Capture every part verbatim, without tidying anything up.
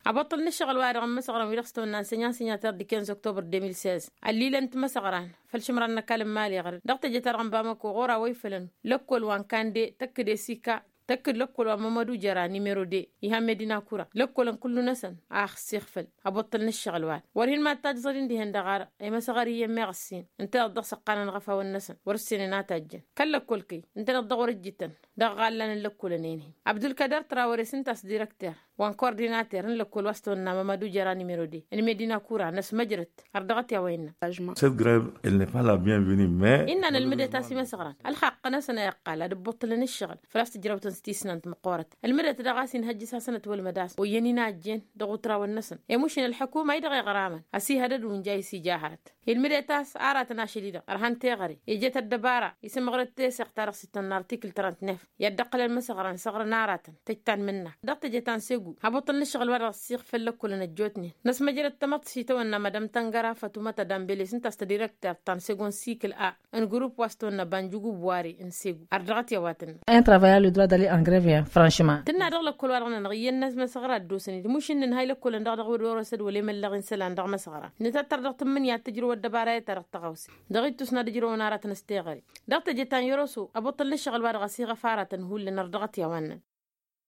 Abăṭṭăl n-ǝššăɣǝl-wa-dăɣ n-imăsăɣran wi-dăɣ s-tăwănna n-sănyan sănyater d-ikenz oktober de mil sez, ălliilăn timăsăɣran făll-išǝmran n-ăkall n-imali ɣăr-dăɣ tejăt-a-dăɣ n-bamăko ɣur-a wa ifălăn lăkkol wa n-kande tăkk-dd esika tăkk-dd lăkkol wa n-mămădu jăra nimero de ihan medina kura lăkkolăn kullu-năsăn a ăxsiɣfăl. Abăṭṭăl n-ǝššăɣǝl-wa-dăɣ wăr hin-mad-tajẓăd-in dihen-dăɣ arăɣ i-măsăɣăr iyyăn meɣ ăssin ǝnta dăɣ-s ăqqanăn ɣăfawăn-năsăn wăr-ǝssin ănatăjjăn kăl-lăkkol-kăy ǝnta dăɣ-wăr ǝjjǝtăn dăɣ-iɣallăn n-lăkkolăn-en-hi. Abdulkăder trawăre s-ǝnta a-s direkter wa n-kordinater n-lăkkol wa s-tăwănna mămădu jăra nimero de n-medina kura n-ăsmăjrăt ărdăɣăt i-a-wa innă. Cette grève, elle n'est pas la bienvenue mais innă n-ălmǝdet a-s imăsăɣran ălxaqq-năsăn a iqqal ad-ǝbbuṭṭǝlăn ǝššăɣǝl făl-a-s tǝjrăwtăn s-tisnant măqqoorăt. Ălmǝdet daɣ a-s inhăjjǝs-asăn ătwălmăd a-s oyyăn inajjen dăɣ-utrawăn-năsăn i-mušin ălḥăkuma a idăɣ-iɣramăn ăsihădăd wa ǝnja a isija hărăt. Ilmǝdet a-s aratăn ašăl-i-dăɣ ărhan teɣăre ijăt ăddăbara isǝmɣăr d-teseɣt ta dăɣ-s ittăn n-artikǝl trăntnef i-ad-dd-ăqqǝlăn imăsăɣran săɣrăn aratăn tăjj ta n-mǝnna. Dăɣ-teje ta n-segu habăṭṭăl n-ǝššăɣǝl-wa-dăɣ ăssiɣ făll-lăkkolăn ăjjootnen năsmăjrăd tamăḍt s-itawănna madam tăngăra fătumăt adambele s-ǝnta a-s tădirektert ta n-segu n-sikǝl a n-grupp wa s-tăwănna banjugub ware n-segu. Ărdăɣăt i-a-wa tǝnnă. Un travailleur le droit d'aller en grève franchement. Tǝnna dăɣ-lăkkol-wa-dăɣ-nănăɣ iyyăn n-asmăsăɣra ăddoosăn-dd mušǝnnin ha i-lăkkolăn dăɣ-dăɣ wăr-orăsăd wăla emăllăɣ-in isălan dăɣ-imăsăɣra. Nǝtattăr dăɣ-tǝmmǝnǝya ad-tǝjrǝw ăddăbara i-ta dăɣ-tăɣawse dăɣ-ittus n-ad-ǝjrăwăn aratăn s-teɣăre. Dăɣ-teje ta n-yăroso abăṭṭăl n-ǝššăɣǝl-wa-dăɣ ăsiɣăf aratăn hullan ărdăɣăt i-a-wa ǝnnăn.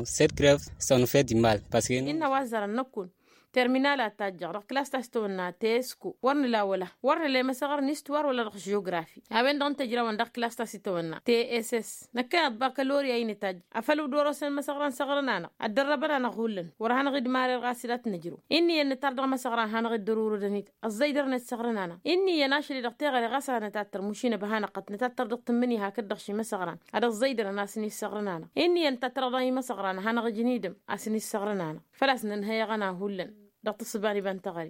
Cette grève, ça nous fait du mal parce que innă wa ăzzărăn năkkun terminal a tajjăɣ dăɣ-klas ta s-tăwănna tesko wăr nǝla wăla wăr nǝla i-măsăɣăr n-istuwar wăla dăɣ-žiografi. A-wen-dăɣ n-tejrawăn dăɣ-klas ta s-itawănna tss năkkăneḍ bakalorya-i nǝtajj afăl dd-orosăn imăsăɣran săɣrăn-anăɣ ăddărrăbăn-anăɣ hullan wăr hanăɣ-dd-marer ɣas d-ad-t-nǝjrǝw. Inn'-iyyăn nǝtar dăɣ-imăsăɣran hanăɣ-dd-ărurǝdăn-dd ăẓẓăydărăn-dd săɣrăn-anăɣ inn'-iyyăn ašăl-i-dăɣ teɣăre ɣas a nǝtattăr mušin ăbhanăɣ-tăt nǝtattăr dăɣ-tǝmmǝnǝya hakd-dăɣ šimăsăɣran ad-ăẓẓăydărăn a-s n-issăɣrăn-anăɣ inn'-iyyăn nǝtattăr dăɣ-imăsăɣran ad-hanăɣ-ǝjnidăm a-s n-issăɣrăn-anăɣ. Făl-a-s nǝnhăy eɣăna hullan dăɣ-tǝssǝba n-iba n-teɣăre.